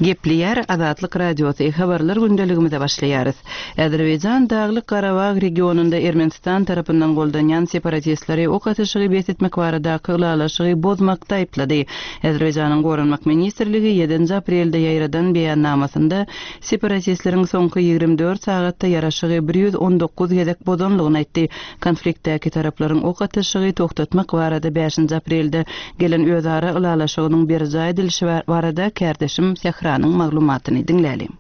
Gepleýär Azatlyk Radiosy, Habarlar gündeligimize başlaýarys. Azerbaýjan Daglyk-Garabag regionynda Ermenistan tarapyndan goldanýan separatistleri ok atyşygy bes etmek baradaky ylalaşygy bozmakda aýyplady. Azerbaýjanyň Goranmak ministrligi ýedinji aprelde ýaýradan beýannamasynda separatistleriň soňky 24 sagatda ýaraşygy 119 gezek bozanlygyny aýtdy. Konfliktdäki taraplaryň ok atyşygy togtatmak barada bäşinji aprelde gelen özara ylalaşygynyň berjaý edilişi barada kärdeşim Sähranyň maglumatyny diňläliň.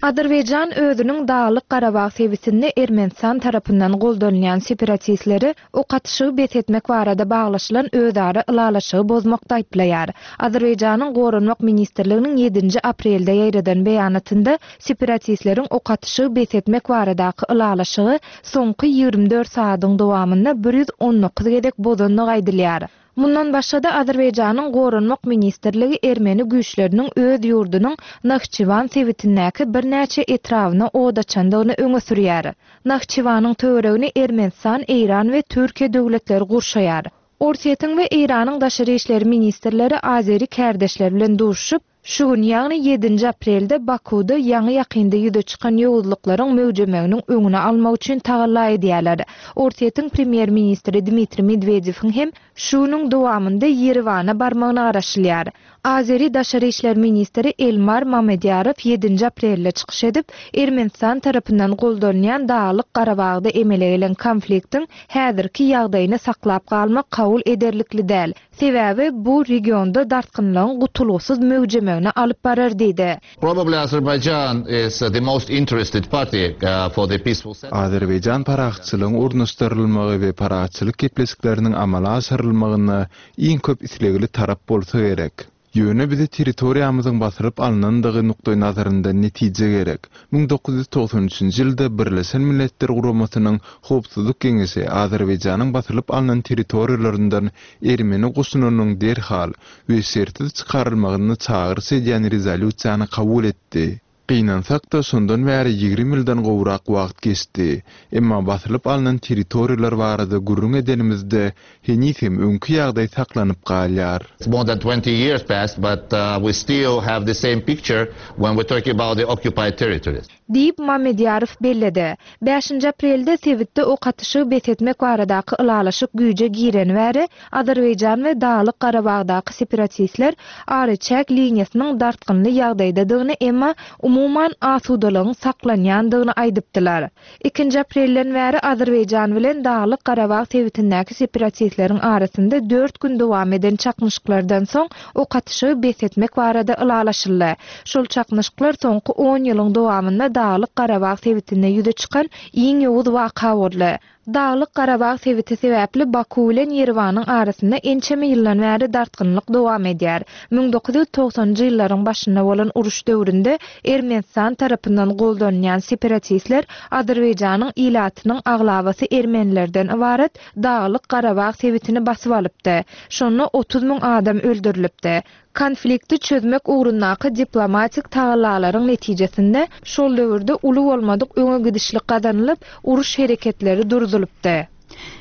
Azerbaýjan özüniň Daglyk-Garabag sebitinde Ermenistan tarapyndan goldanylýan separatistleri ok atyşygy bes etmek barada baglaşylan özara ylalaşygy bozmakda aýyplaýar. Azerbaýjanyň Goranmak ministrliginiň ýedinji aprelde ýaýradan beýanatynda separatistleriň ok atyşygy bes etmek baradaky ylalaşygy soňky 24 sagadyň dowamynda 119 gezek bozandygy aýdylýar. Mundan başga-da, Azerbaýjanyň Goranmak ministrligi ermeni güýçleriniň öz ýurdunyň Nahçywan sebitindäki birnäçe etrabyna od açandygyny öňe sürýär. Nahçywanyň töweregini Ermenistan, Eýran we Türkiýe döwletleri gurşaýar. Orsýetiň we Eýranyň daşary işler ministrleri azeri kärdeşleri bilen duşuşyp, Şu gün, ýagny ýedinji aprelde Bakuwda ýaňy-ýakynda ýüze çykan ýowuzlyklaryň möwjemeginiň öňüni almak üçin tagalla edýärler. Orsýetiň premýer-ministri Dmitriý Medwedewiň hem şu günüň dowamynda Ýerewana barmagyna garaşylýar. Azeri daşary işler ministri Elmar Mamedýarow ýedinji aprelde çykyş edip, Ermenistan tarapyndan goldanylýan Daglyk-Garabagda emele gelen konfliktiň häzirki ýagdaýyny saklap galmak kabul ederlikli däl, Sebäbi bu regionda dartgynlygyň gutulgysyz möwjemegine alyp barar diýdi. Probably Azerbaijan is the most interested party for the peaceful settlement. Azerbaýjan parahatçylygyň ornaşdyrylmagy we parahatçylyk gepleşikleriniň amala aşyrylmagyna iň köp islegli tarap bolsa gerek. Ýöne bize territoriýamyzyň basylyp alnandygy nukdaýnazaryndan netije gerek. 1993-nji ýylda Birleşen Milletler Guramasynyň Howpsuzlyk Geňeşi Azerbaýjanyň basylyp alnan territoriýalaryndan ermeni goşunynyň derhal we şertsiz çykarylmagyny çagyryş edýän rezolýusiýany kabul etdi. Gynansak-da, şondan bäri 20 ýyldan gowrak wagt geçdi. Emma basylyp alnan territoriýalar barada gürrüň edenimizde, heniz hem öňki ýagdaý saklanyp galýar. More than 20 years passed, but we still have the same picture when we talk about the occupied territories. Diýip, Mamedýarow belledi. Bäşinji aprelde sebitde ok atyşygy bes etmek baradaky ylalaşyk güýje gireni bäri, Azerbaýjan we Daglyk Garabagdaky separatistler araçäk liniýasynyň dartgynly ýagdaýdadygyny, emma umuman asudalygyň saklanýandygyny aýdypdylar. Ikinji aprelden bäri Azerbaýjan bilen Daglyk Garabag sebitindäki separatistleriň arasynda dört gün dowam eden çaknyşyklardan soň ok atyşygy bes etmek barada ylalaşyldy. Şol çaknyşyklar soňky on ýylyň dowamynda Daglyk Garabag sebitinde ýüze çykan iň ýowuz waka boldy. Daglyk Garabag sebiti sebäpli Baku bilen Ýerewanyň arasynda ençeme ýyldan bäri dartgynlyk dowam edýär. 1990-njy ýyllaryň başynda bolan uruş döwründe Ermenistan tarapyndan goldanylýan separatistler Azerbaýjanyň ilatynyň aglabasy ermenilerden ybarat Daglyk Garabag sebitini basyp alypdy. Şonda 30 müň adam öldürilipdi. Konflikti çözmek ugrundaky diplomatik tagallalaryň netijesinde şol döwürde uly bolmadyk öňe gidişlik gazanylyp, uruş hereketleri durzulypdy.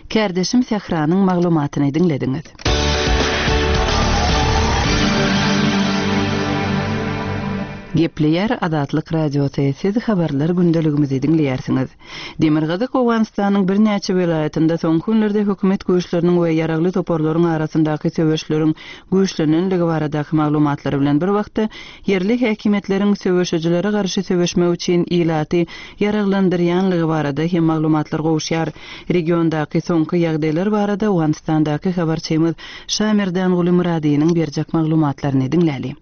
Kärdeşim Sähranyň maglumatyny diňlediňiz. Gepleýär Azatlyk Radiosy, siz habarlar gündeligimizi diňleýärsiňiz. Demirgazyk Owganystanyň birnäçe welaýatynda soňky günlerde hökümet güýçleriniň we ýaragly toparlaryň arasyndaky söweşleriň güýçlenenligi baradaky maglumatlar bilen bir wagtda, ýerli häkimiýetleriň söweşijilere garşy söweşmek üçin ilaty ýaraglandyrýanlygy barada hem maglumatlar gowuşýar. Regiondaky soňky ýagdaýlar barada Owganystandaky habarçymyz Şamerdanguly Myradynyň berjek maglumatlaryny diňläli.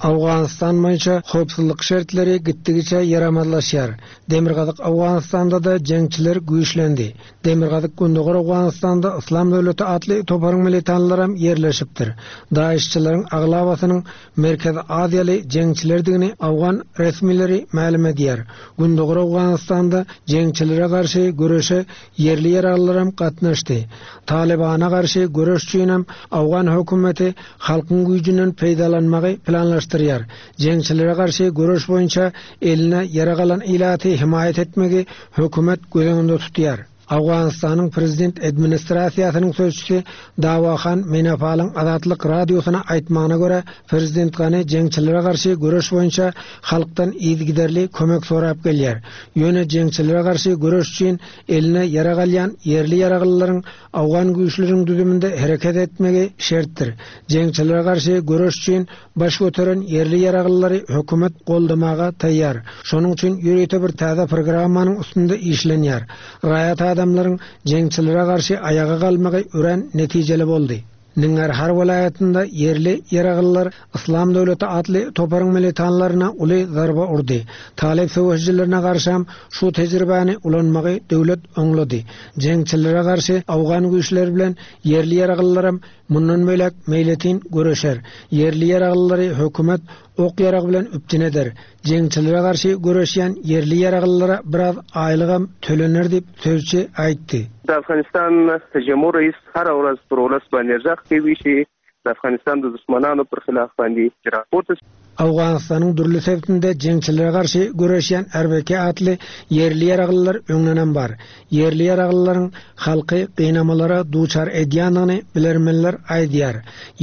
Owganystan boýunça howpsuzlyk şertleri gitdigiçe ýaramazlaşýar. Demirgazyk Owganystanda-da jeňçiler güýçlendi. Demirgazyk-Gündogar Owganystanda Yslam döwleti atly toparyň militanlaram ýerleşipdir. DAIŞ-çileriň aglabasynyň Merkezi Aziýaly jeňçilerdigini owgan resmileri mälim edýär. Gündogar Owganystanda jeňçilere garşy göreşe Ýerli ýaraglylaram gatnaşdy. Talybana garşy göreş üçinem owgan hökümeti halkyň güýjünden peýdalanmagy planlaşdyrýar. Jeňçilere garşy göreş boýunça eline ýarag alan ilaty hemaýat etmegi hökümet göz öňünde tutýar. Owganystanyň prezident administrasiýasynyň sözçüsi Dawahan Menapalyň Azatlyk Radiosyna aýtmagyna görä, prezident Gani jeňçilere garşy göreş boýunça halkdan yzygiderli kömek sorap gelýär. Ýöne jeňçilere garşy göreş üçin eline ýarag alýan ýerli ýaraglylaryň owgan güýçleriniň düzüminde hereket etmegi şertdir. Jeňçilere garşy göreş üçin baş göteren ýerli ýaraglylary hökümet goldamaga taýýar. Şonuň üçin ýörite bir täze programmanyň üstünde işlenýär. Raýat adamlaryň jeňçilere garşy aýaga galmagy örän netijeli boldy. Ningarhar welaýatynda ýerli ýaraglylar Yslam döwleti atly toparyň militanlaryna uly zarba urdy. Talyp söweşijilerine garşam şu tejribäni ulanmagy döwlet oňlady. Jeňçilere garşy owgan güýçleri bilen ýerli ýaraglylaram Mundan beýläk meýletin göreşer. Ýerli ýaraglylary hökümet ok-ýarag bilen üpjün eder. Jeňçilere garşy göreşýän ýerli ýaraglylara biraz aýlygam tölener diýip, sözçi aýtdy. د افغانستان جمهور رئیس هره ورځ پر ولس باندې ږغ کوي چې د افغانستان د دښمنانو پر خلاف باندې راپورته شي. Owganystanyň dürli sebitinde jeňçilere garşy göreşýän RBK atly ýerli ýaraglylar öňdenem bar. Ýerli ýaraglylaryň halky gynamalara duçar edýändigini bilermenler aýdýar.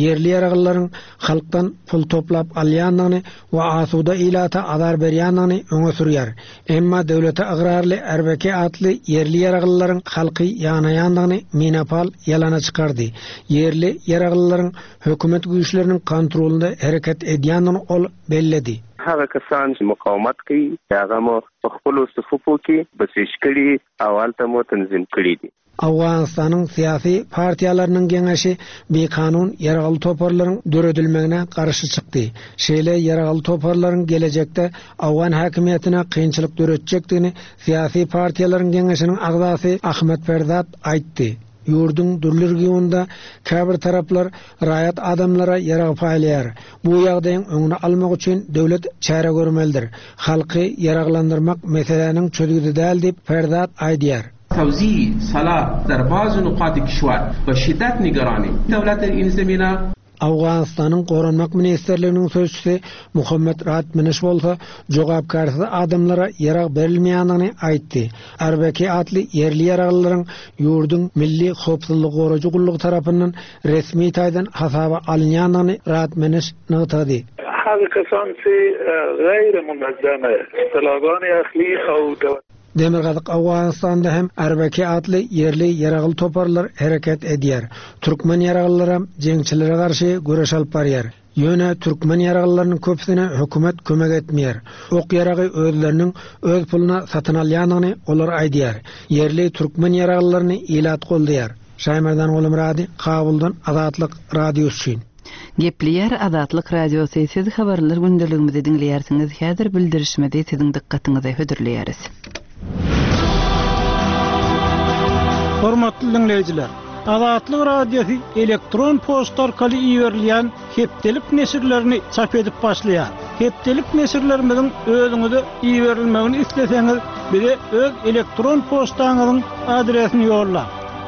Ýerli ýaraglylaryň halkdan pul toplap alýandygyny we asuda ilata azar berýändigini öňe sürýär. Emma döwlete ygrarly RBK atly ýerli ýaraglylaryň halky ýanaýandygyny Minapal ýalana çykardy. Ýerli ýaraglylaryň hökümet güýçleriniň kontrolynda hereket edýändigini ol belledi. هغه کسان چې مقاومت کوي هغه مو په خپلو صفوفو کې بسیج کړي او هلته مو تنظیم کړي دي. Owganystanyň syýasy partiýalarynyň geňeşi bikanun ýaragly toparlaryň döredilmegine garşy çykdy. Şeýle ýaragly toparlaryň gelejekde owgan häkimiýetine kynçylyk döretjekdigini syýasy partiýalaryň geňeşiniň agzasy Ahmet Ferzat aýtdy. Ýurduň dürli regionynda käbir taraplar raýat adamlara ýarag paýlaýar. Bu ýagdaýyň öňüni almak üçin döwlet çäre görmelidir. Halky ýaraglandyrmak meseläniň çözgüdi däl diýip, Ferzat aýdýar. توزیع سلاح در بعض نقاط کشور به شدت نگرانیم دولت در این زمینه Owganystanyň Goranmak ministrliginiň sözçüsi Muhammet Radminiş bolsa, jogapkärsiz adamlara ýarag berilmeýändigini aýtdy. RBK atly ýerli ýaraglylaryň ýurduň Milli howpsuzlygy goraýjy gullugy tarapyndan resmi taýdan hasaba alynýandygyny Radminiş nygtady. هغه کسان چې غیر منظمه اصطلاحګانې اخلي او د. Demirgazyk Owganystanda hem RBK atly ýerli ýaragly toparlar hereket edýär. Türkmen ýaraglylaram jeňçilere garşy göreş alyp barýar. Ýöne türkmen ýaraglylarynyň köpüsine hökümet kömek etmeýär. Ok-ýaragy özleriniň öz puluna satyn alýandygyny olar aýdýar. Ýerli türkmen ýaraglylaryny ilat goldaýar. Şaýmerdan Gulumyrady, Kabuldan Azatlyk Radiosy üçin. Gepleýär Azatlyk Radiosy, siz habarlar gündeligimizi diňleýärsiňiz, häzir bildirişimizi siziň dykgatyňyza hödürleýäris. Hormatly diňleýjiler! Azatlyk Radiosy elektron poçta arkaly iberilýän hepdelik neşirlerini çap edip başlaýar. Hepdelik neşirlerimiziň özüňize iberilmegini isleseňiz, bize öz elektron poçtaňyzyň adresini ýollaň.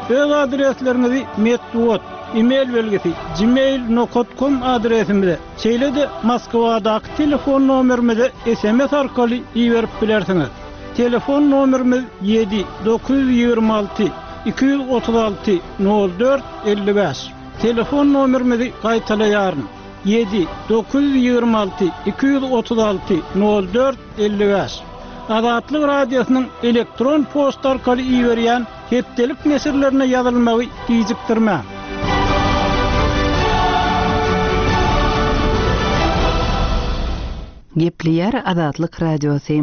Öz adresleriňizi metbugat, e-mail belgisi, gmail nokat kom adresimize, şeýle-de Moskwadaky telefon nomerimize sms arkaly iberip bilersiňiz. Telefon nomerimiz ýedi, 926 236 04 55. Telefon nomerimizi gaýtalaýaryn, ýedi, 926 236 04 55. Azatlyk Radiosynyň elektron poçta arkaly iberýän Hepdelik neşirlerine ýazylmagy gijikdirmäň. Gepleýär Azatlyk Radiosy.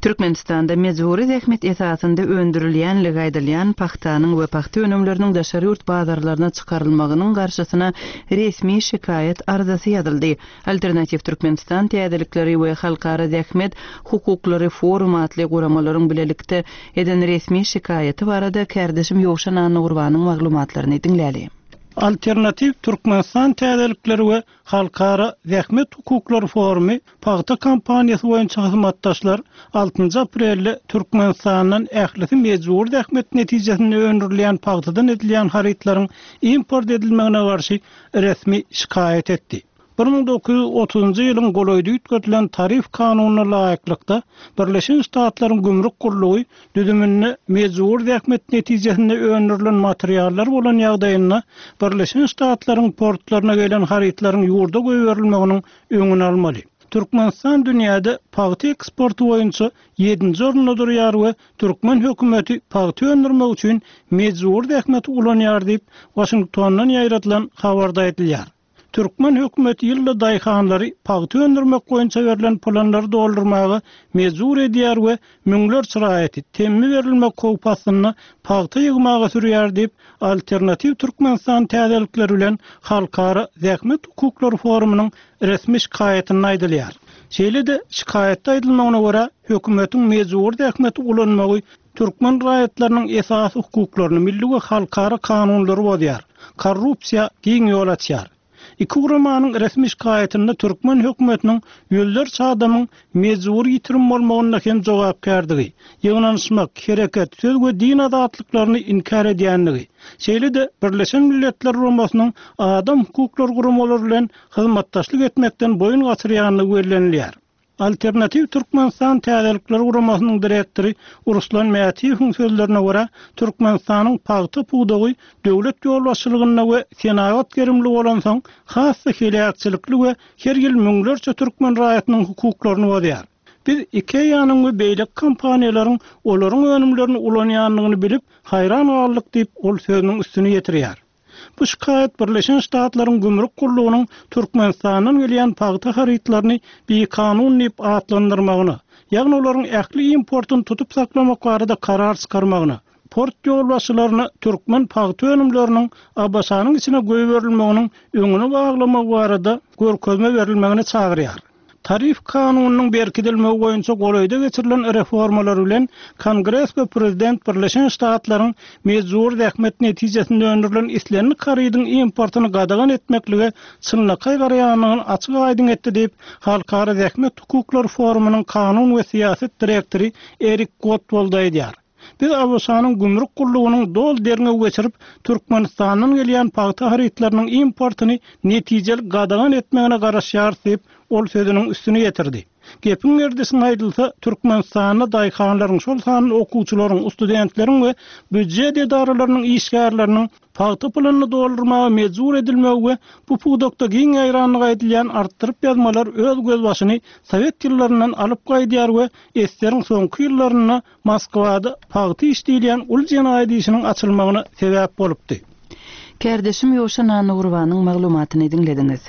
Türkmenistanda mejbury zähmet esasynda öndürilýänligi aýdylýan pagtanyň we pagta önümleriniň daşary ýurt bazarlaryna çykarylmagynyň garşysyna resmi şikaýat arzasy ýazyldy. Alternatiw Türkmenistan täzelikleri we Halkara zähmet hukuklary forumy atly guramalaryň bilelikde eden resmi şikaýaty barada kärdeşim Ýowşan Annagurbanyň maglumatlaryny diňläli. Alternatiw Türkmenistan täzelikleri we Halkara zähmet hukuklary forumy pagta kampaniýasy boýunça hyzmatdaşlar altynjy aprelde Türkmenistandan ählisi mejbury zähmet netijesinde öndürilýän pagtadan edilýän harytlaryň import edilmegine garşy resmi şikaýat etdi. 1930-njy ýylyň golaýda üýtgedilen tarif kanunyna laýyklykda, Birleşen Ştatlaryň gümrük gullugy düzüminde mejbury zähmet netijesinde öndürilen materiallar bolan ýagdaýynda Birleşen Ştatlaryň portlaryna gelen harytlaryň ýurda goýberilmeginiň öňüni almaly. Türkmenistan dünýäde pagta eksporty boýunça ýedinji orunda durýar we türkmen hökümeti pagta öndürmek üçin mejbury zähmeti ulanýar diýip, Waşingtondan ýaýradylan habarda aýdylýar. Türkmen hökümeti ýylda daýhanlary pagta öndürmek boýunça berlen planlary doldurmaga mejbur edýär we müňlerçe raýaty temmi berilmek howpy astynda pagta ýygmaga sürýär diýip, Alternatiw Türkmenistan täzelikleri bilen Halkara zähmet hukuklary forumynyň resmi şikaýatynda aýdylýar. Şeýle-de, şikaýatda aýdylmagyna görä, hökümetiň mejbury zähmeti ulanmagy türkmen raýatlarynyň esasy hukuklaryny, milli we halkara kanunlary bozýar, korrupsiýa giň ýol açýar. Iki guramanyň resmi şikaýatynda türkmen hökümetiniň ýüzlerçe adamyň mejbury ýitirim bolmagynda hem jogapkärdigi, ýygnanyşmak, hereket, söz we din azatlyklaryny inkär edýändigi, şeýle-de Birleşen Milletler Guramasynyň adam hukuklary guramalary bilen hyzmatdaşlyk etmekden boýun gaçyrýandygy bellenilýär. Alternatiw Türkmenistan täzelikler guramasynyň direktory Ruslan Mätiýewiň sözlerine görä, Türkmenistanyň pagta pudagy döwlet ýolbaşçylygynda we senagat gerimli bolansoň, has-da heläkçilikli we her ýyl müňlerçe türkmen raýatynyň hukuklaryny bozýar. Biz IKEA-nyň we beýleki kompaniýalaryň olaryň önümlerini ulanýandygyny bilip, haýran galdyk diýip, ol sözüniň üstüni ýetirýär. Bu şikaýat Birleşen Ştatlaryň gümrük gullugynyň Türkmenistandan gelýän pagta harytlaryny bikanun diýip atlandyrmagyna, ýagny olaryň ähli importyny tutup saklamak barada karar çykarmagyna, port ýolbaşçylaryna türkmen pagta önümleriniň ABŞ-nyň içine goýberilmeginiň öňüni baglamagy barada görkezme berilmegine çagyrýar. Tarif kanunynyň berkidilmegi boýunça golaýda geçirilen reformalar bilen Kongres we prezident Birleşen Ştatlaryň mejbury zähmet netijesinde öndürilen islendik harydyň importyny gadagan etmeklige çynlakaý garaýandygyny açyk-aýdyň etdi diýip, Halkara zähmet hukuklary forumynyň kanun we syýasat direktory Erik Gottwald aýdýar. Biz ABŞ-nyň gümrük gullugynyň doly derňew geçirip, Türkmenistandan gelýän pagta harytlarynyň importyny netijeli gadagan etmegine garaşýarys diýip, ol sözüniň üstüni ýetirdi. Gepiň gerdişine aýdylsa, Türkmenistanda daýhanlaryň, şol sanda okuwçylaryň, studentleriň we býujet edaralarynyň işgärleriniň pagta puluny doldurmaga mejbur edilmegi we bu pudakda giň ýaýrandygy aýdylýan artdyryp ýazmalar öz gözbaşyny sowet ýyllaryndan alyp gaýdýar we eseriň soňky ýyllarynda Moskwada pagta iş diýilýän uly jenaýat işiniň açylmagyna sebäp bolupdy. Kärdeşim Ýowşan Annagurbanyň maglumatyny diňlediňiz.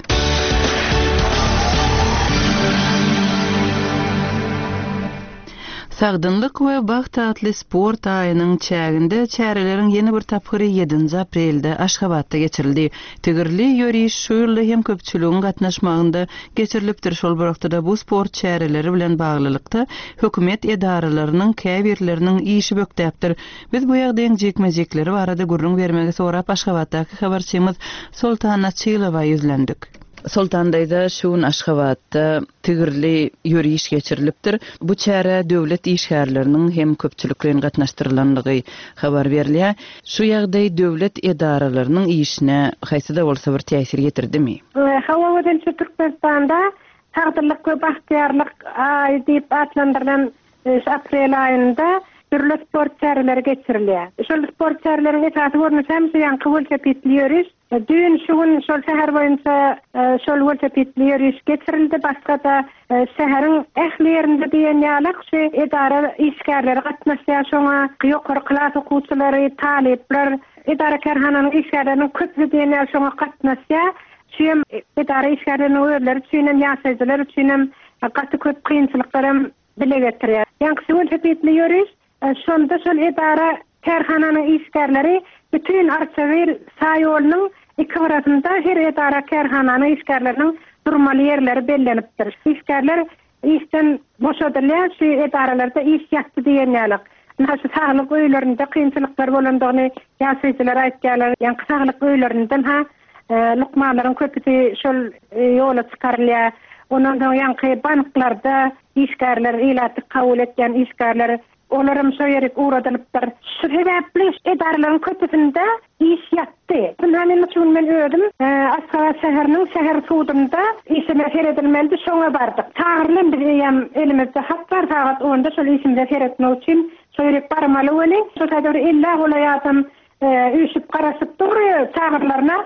Sagdynlyk we bagt atly sport aýynyň çäginde çäreleriň ýene bir tapgyry ýedinji aprelde Aşgabatda geçirildi. Tigirli ýöriş şu ýylda hem köpçüligiň gatnaşmagynda geçirilipdir, şol bir wagtda-da bu sport çäreleri bilen baglylykda hökümet edaralarynyň käbirleriniň işi bökdäpdir. Biz bu ýagdaýyň jikme-jikleri barada gürrüň bermegi sorap Aşgabatdaky habarçymyz Soltan Açylowa ýüzlendik. Soltan daýza şu gün Aşgabatda tigirli ýöriş geçirilipdir. Bu çärä döwlet işgärleriniň hem köpçülikleýin gatnaşdyrylandygy habar berilýär. Şu ýagdaý döwlet edaralarynyň işine haýsy-da bolsa bir täsir ýetirdimi? Hawa gözelçi Türkmenistanda Sagdynlyk we bagtyýarlyk aýy diýip atlandyrylan şu aprel aýynda dürli sport çäreleri geçirilýär. Şol sport çäreleriň esasy görnüşi hem şu ýaňky welosipedli ýöriş. Düýn, şu gün şol şäher boýunça şol welosipedli ýöriş geçirildi. Başga-da şäheriň ähli ýerinde diýen ýaly şu edara işgärleri gatnaşýar şoňa. Ýokary klas okuwçylary, talyplar, edara-kärhananyň işgärleriniň köpüsi diýen ýaly şoňa gatnaşýar. Şu hem edara işgärleriniň özleri üçin hem, ýaşaýjylar üçin hem gaty köp kynçylyklar hem dile getirýär. Ýaňky welosipedli ýöriş Şonda şol edara, kärhananyň işgärleri bütin Arçabil şaýolunyň iki gyrasynda her edara, kärhananyň işgärleriniň durmaly ýerleri bellenipdir. Işgärler işden boşadylýar, şu edaralarda iş ýatdy diýen ýalyk. Ynha şu saglyk öýlerinde kynçylyklar bolandygyny ýaşaýjylar aýtýarlar. Ýaňky saglyk öýlerinden ha lukmanlaryň köpüsi şol ýola çykarylýar. Ondan soň ýaňky banklarda işgärler, ilaty kabul etýän işgärler. Olaram şo ýerik ugradylypdyr. Şu sebäpli edaralaryň köpüsinde iş ýatdy. Ynha men şu gün men özüm Aşgabat şäheriniň şäher sudunda işime seredilmelidi, şoňa bardyk. Çagyrylan biz eýýäm elimizde hat bar, sagat onda şol işimize seretmek üçin şo ýerik barmaly weli, şo taýda bir ellä golaý adam üýşüp garaşyp dur çagyrylaryna.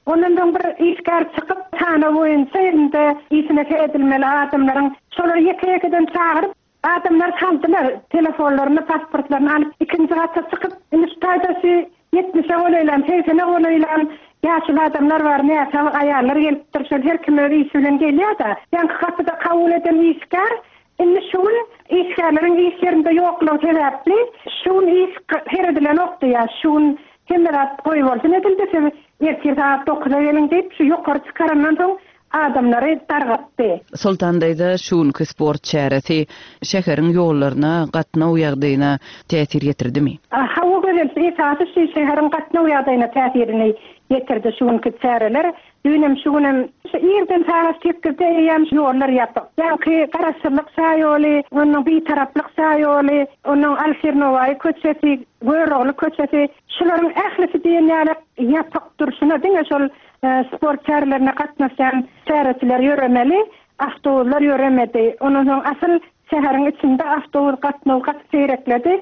Ondan soň bir işgär çykyp, sanaw boýunça elinde işine seredilmeli adamlaryň şolary ýeke-ýekeden çagyryp, Adamlar saldylar, telefonlaryny, pasportlaryny alyp, ikinji gata çykyp, indi şu taýda şu ýetmişe golaýlan, segsene golaýlan ýaşuly adamlar bar, näsag aýallar gelipdir, şol her kim öz işi bilen gelýär-de. Ýaňky gapyda kabul eden işgär indi şu gün işgärleriň iş ýerinde ýoklugy sebäpli, şu gün iş seredilenok diýýär, şu gün hemme zat goýbolsun edildi, siz ertir sagat dokuza geliň diýip, şu ýokary çykarandan soň adamlary dargatdy. Soltan daýza şu günki sport çäresi şäheriň ýollaryna, gatnaw ýagdaýyna täsir ýetirdimi? Hawa Gözel, esasy şu şäheriň gatnaw ýagdaýyna täsirini ýetirdi şu günki çäreler. Düýnem şu günem şu irden sagat sekizde eýýäm ýollar ýapyk. Ýaňky Garaşsyzlyk şaýoly, onnoň Bitaraplyk şaýoly, onnoň Alşir Nowaýy köçesi, Görogly köçesi şularyň ählisi diýen ýaly ýapyk durşuna diňe şol Sport çärelerine gatnaşýan çäreçiler ýöremeli, awtobuslar ýöremedi. Ondan soň asyl şäheriň içinde awtobus gatnawy gaty seýrekledi.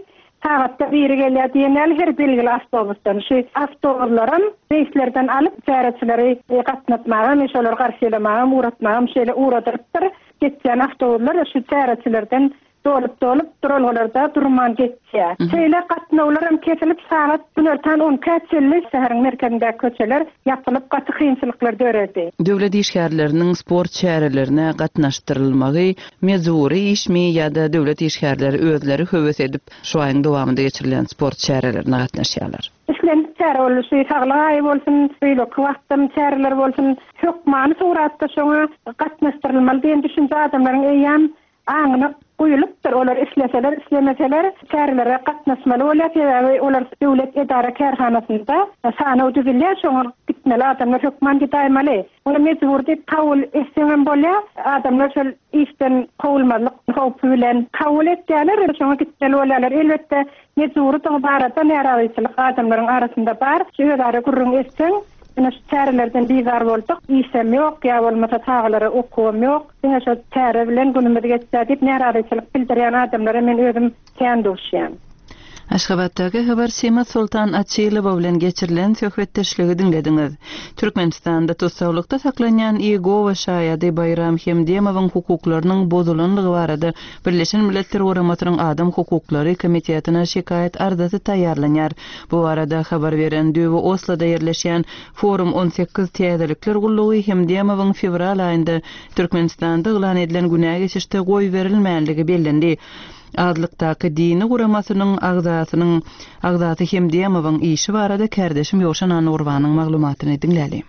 Sagatda biri gelýär diýen ýaly her belgili awtobusdan. Şu awtobuslaram reýslerden alyp çäreçileri gatnatmagam, şolary garşylamagam, ugratmagam şeýle ugradylypdyr. Geçýän awtobuslar şu çäreçilerden Dolup-dolup, duralgalarda durman geçýär. Şeýle gatnawlaram kesilip, sagat günortan on ikä çenli şäheriň merkezindäki köçeler ýapylyp, gaty kynçylyklar döredi. Döwlet işgärleriniň sport çärelerine gatnaşdyrylmagy mejbury işmi ýa-da döwlet işgärleri özleri höwes edip şu aýyň dowamynda geçirilýän sport çärelerine gatnaşýarlar? Islendik çäre boldy, şu saglyk aýy bolsun, beýleki wagtdan çäreler bolsun, hökmany suratda şoňa gatnaşdyrylmaly diýen düşünje adamlaryň eýýäm aňyna guýulypdyr, olar isleseler, islemeseler çärelere gatnaşmaly bolýar, sebäbi olar döwlet edara-kärhanasynda sanaw düzülýär, şoňa gitmeli adamlar hökman gidäýmeli. Ony mejbur diýip kabul etseňem bolýar, adamlar şol işden kowulmazlyk howpy bilen kabul etýärler, şoňa gitmeli bolýarlar. Elbetde, mejburydygy barada närazyçylyk adamlaryň arasynda bar, özara gürrüň etseň, Ine şu çärelerden bizar bolduk, işem ýok, ýa bolmasa çagalara okuwam ýok, diňe şo çäre bilen günümiz geçýär diýip närazyçylyk bildirýän adamlara men özüm kän duşýan. Aşgabatdaky habarçymyz Soltan Açylowa bilen geçirilen söhbetdeşligi diňlediňiz. Türkmenistanda tussaglykda saklanýan Iýegowa şaýady Baýram Hemdemowyň hukuklarynyň bozulanlygy barada Birleşen Milletler Guramasynyň Adam hukuklary komitetine şikaýat arzasy taýýarlanýar. Bu barada habar beren düýbi Osloda ýerleşýän Forum 18 täzelikler gullugy Hemdemowyň fewral aýynda Türkmenistanda yglan edilen günä geçişde goýberilmänligi bellendi. Azlykdaky dini guramasynyň agzasynyň agzasy Hemdemowyň işi barada kärdeşim Ýowşan Annagurbanyň maglumatyny diňläli.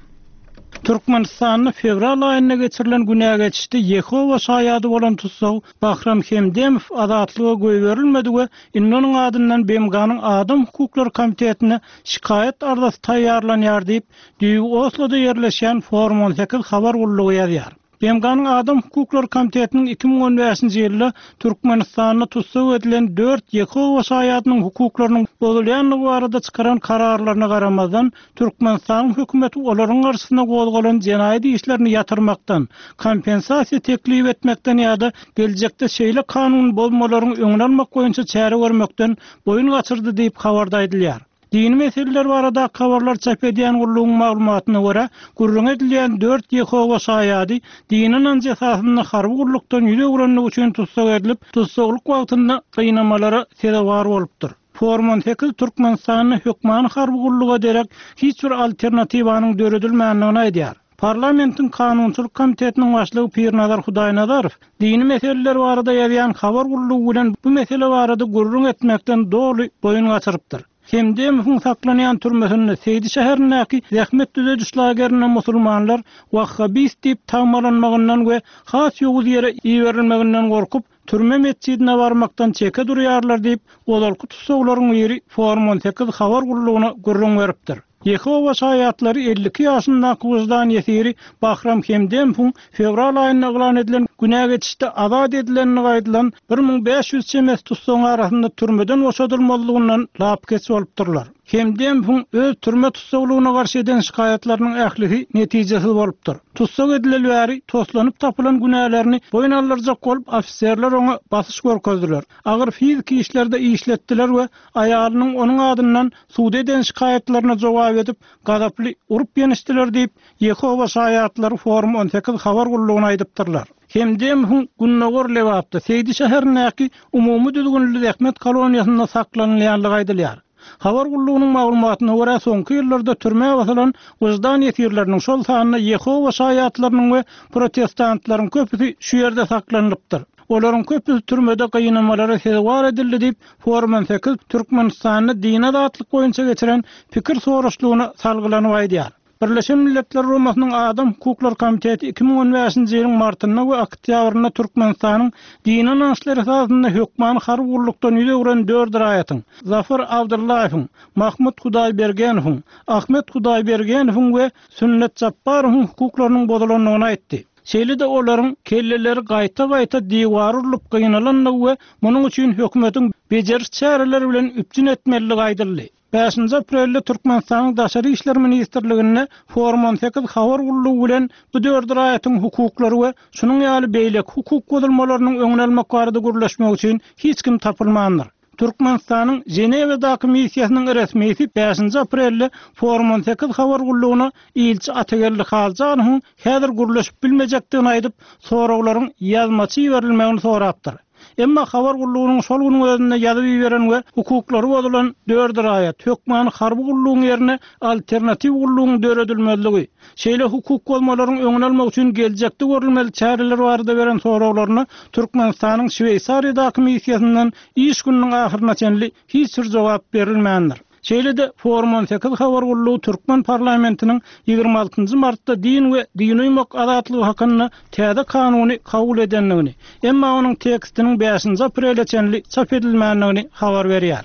Türkmenistanda fewral aýynda geçirilen günä geçişde Ýehowa şaýady bolan tussag Bahram Hemdemow azatlyga goýberilmedi we indi onuň adyndan BMG-niň Adam hukuklary komitetine şikaýat arzasy taýýarlanýar diýip, düýbi Osloda ýerleşýän Forum 18 habar gullugy ýazýar. BMG-niň Adam hukuklary komitetiniň 2015-nji ýylda Türkmenistanda tussag edilen dört Ýehowa şaýadynyň hukuklarynyň bozulýandygy barada çykaran kararlaryna garamazdan, Türkmenistanyň hökümeti olaryň garşysyna gozgalan jenaýat işlerini ýatyrmakdan, kompensasiýa teklip etmekden ýa-da geljekde şeýle kanun bozmalaryň öňüni almak boýunça çäre görmekden boýun gaçyrdy diýip, habarda aýdylýar. Dini meseleler baradaky habarlary çap edýän gullugyň maglumatyna görä, gürrüňi edilýän dört Ýehowa Şaýady dini ynanjy esasynda harby gullukdan ýüz öwrenligi üçin tussag edilip, tussaglyk wagtynda gynamalara sezewar bolupdyr. Forum 18 Türkmenistanda hökmany harby gulluga derek hiç bir alternatiwanyň döredilmändigini aýdýar. Parlamentiň Kanunçylyk komitetiniň başlygy Pirnazar Hudaýnazarow dini meseleler barada ýazýan habar gullugy bilen bu mesele barada gürrüň etmekden doly boýun gaçyrypdyr. Hemdemowyň saklanýan türmesinde Seýdi şäherindäki zähmet düzediş lagerinde musulmanlar wahhabist diýip tagmalanmagyndan we has ýowuz ýere iberilmeginden gorkup, türme metjidine barmakdan çeke durýarlar diýip, ozalky tussaglaryň biri Forum 18 habar gullugyna gürrüň beripdir. Ýehowa Şaýatlary 52 ýaşyndaky wyždan ýesiri Bahram Hemdemowyň fewral aýynda yglan edilen günä geçişde azat edilendigi aýdylan 1500 çemesi tussagyň arasynda türmeden boşadylmazlygyndan lapykeç bolupdyrlar. Hemdemowyň öz türme tussaglygyna garşy eden şikaýatlarynyň ählisi netijesiz bolupdyr. Tussag edileli bäri toslanyp tapylan günälerini boýun aldyrjak bolup ofiserler oňa basyş görkezdiler, agyr fiziki işlerde işletdiler we aýalynyň onuň adyndan suda eden şikaýatlaryna jogap edip, gazaply urup-ýençdiler diýip, Ýehowa Şaýatlary Forum 18 habar gullugyna aýdypdyrlar. Hemdemowyň gündogar Lebapda, Seýdi şäherindäki umumy düzgünli zähmet koloniýasynda saklanylýandygy aýdylýar. Habar gullugynyň maglumatyna görä, soňky ýyllarda türmä basylan wyždan ýesirleriniň, şol sanda Ýehowa Şaýatlarynyň we protestantlaryň köpüsi şu ýerde saklanylypdyr. Olaryň köpüsi türmede gynamalara sezewar edildi diýip, Forum 18 Türkmenistanda dini azatlyk boýunça geçiren pikir soraşlygyna salgylanyp aýdýar. Birleşen Milletler Guramasynyň Adam hukuklary komiteti 2015-nji ýylyň martynda we oktýabrynda Türkmenistanyň dini ynançlar esasynda hökmany harby gullukdan ýüz öwren dört raýatyň, Zafar Abdyllaýewiň, Mahmut Hudaýbergenowyň, Ahmet Hudaýbergenowyň we Sünnet Japbarowyň hukuklarynyň bozulandygyny aýtdy. Şeýle-de olaryň kelleleri gaýta-gaýta diwara urlup gynalandygy we munuň üçin hökümetiň bejeriş çäreleri bilen üpjün etmelidigi aýdyldy. Bäşinji aprelde Türkmenistanyň Daşary işler ministrliginde Forum 18 habar gullugy bilen bu dört raýatyň hukuklary we şunuň ýaly beýleki hukuk bozulmalarynyň öňüni almak barada gürleşmek üçin hiç kim tapylmandyr. Türkmenistanyň Ženewadaky missiýasynyň resmisi bäşinji aprelde Forum 18 habar gullugyna ilçi Atageldi Haljanowyň häzir gürleşip bilmejekdigini aýdyp, soraglaryň ýazmaça iberilmegini sorapdyr. Emma habar gullugynyň şol günüň özünde ýazyp iberen we hukuklary bozulan dört raýat, hökmany harby gullugyň ýerine alternatiw gullugyň döredilmezligi, şeýle hukuk bozmalaryň öňüni almak üçin geljekde görülmeli çäreler barada beren soraglaryna Türkmenistanyň Şweýsariýadaky missiýasyndan iş gününiň ahyryna çenli hiç bir jogap berilmändir. Şeýle-de Forum 18 habar gullugy türkmen parlamentiniň 26 martda din we dine uýmak azatlygy hakynda täze kanuny kabul edendigini, emma onuň tekstiniň bäşinji aprele çenli çap edilmändigini habar berýär.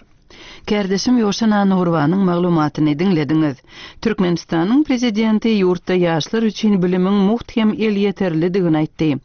Kärdeşim Ýowşan Annagurbanyň maglumatyny diňlediňiz. Türkmenistanyň Prezidenti ýurtda ýaşlar üçin bilimiň mugt hem elýeterlidigini aýtdy.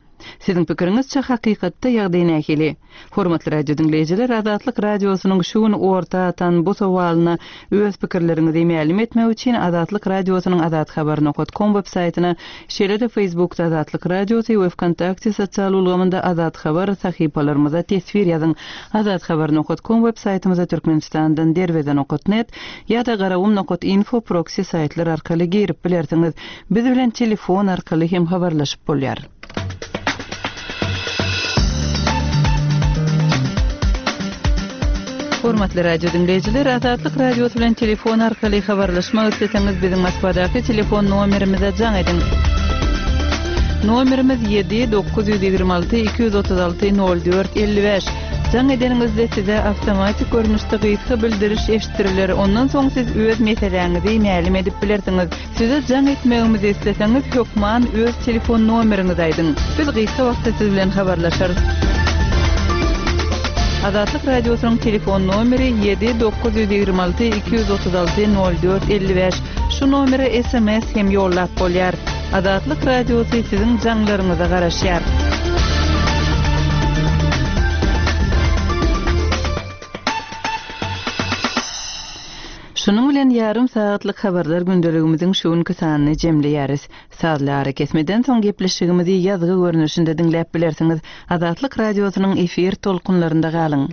Siziň pikiriňizçe hakykatda ýagdaý nähili? Hormatly radio diňleýjiler Azatlyk Radiosynyň şu gün orta atan bu sowalyna öz pikirleriňizi mälim etmek üçin Azatlyk Radiosynyň azathabar nokat kom web saýtyna şeýle-de Facebookda Azatlyk Radiosy we Wkontakte sosial ulgamynda Azathabar sahypalarymyza teswir ýazyň Azathabar nokat kom web saýtymyza Türkmenistandan derweze nokat net ýa-da garagum nokat info proksi saýtlar arkaly girip bilersiňiz. Biz bilen telefon arkaly hem habarlaşyp bolýar. Hormatly radio diňleýjiler, Azatlyk Radiosy bilen telefon arkaly habarlaşmak isleseňiz, biziň Moskwadaky telefon nomerimize jaň ediň. Nomerimiz 7 926 236 04 55. Jaň edeniňizde size awtomatik görnüşde gysga bildiriş eşitdiriler. Ondan soň siz öz meseläňizi mälim edip bilersiňiz. Size jaň etmegimizi isleseňiz hökman öz telefon nomeriňizi aýdyň. Biz gysga wagtda siz bilen habarlaşarys. Azatlyk Radiosynyň telefon nomeri 7 926 236 04 55. Şu nomere sms hem ýollap bolýar. Azatlyk Radiosy siziň jaňlaryňyza garaşýar. Şunuň bilen ýarym sagatlyk habarlar gündeligimiziň şu günki sanyny jemleýäris. Sazly arakesmeden soň gepleşigimizi ýazgy görnüşinde diňläp bilersiňiz. Azatlyk Radiosynyň efir tolkunlarynda galyň!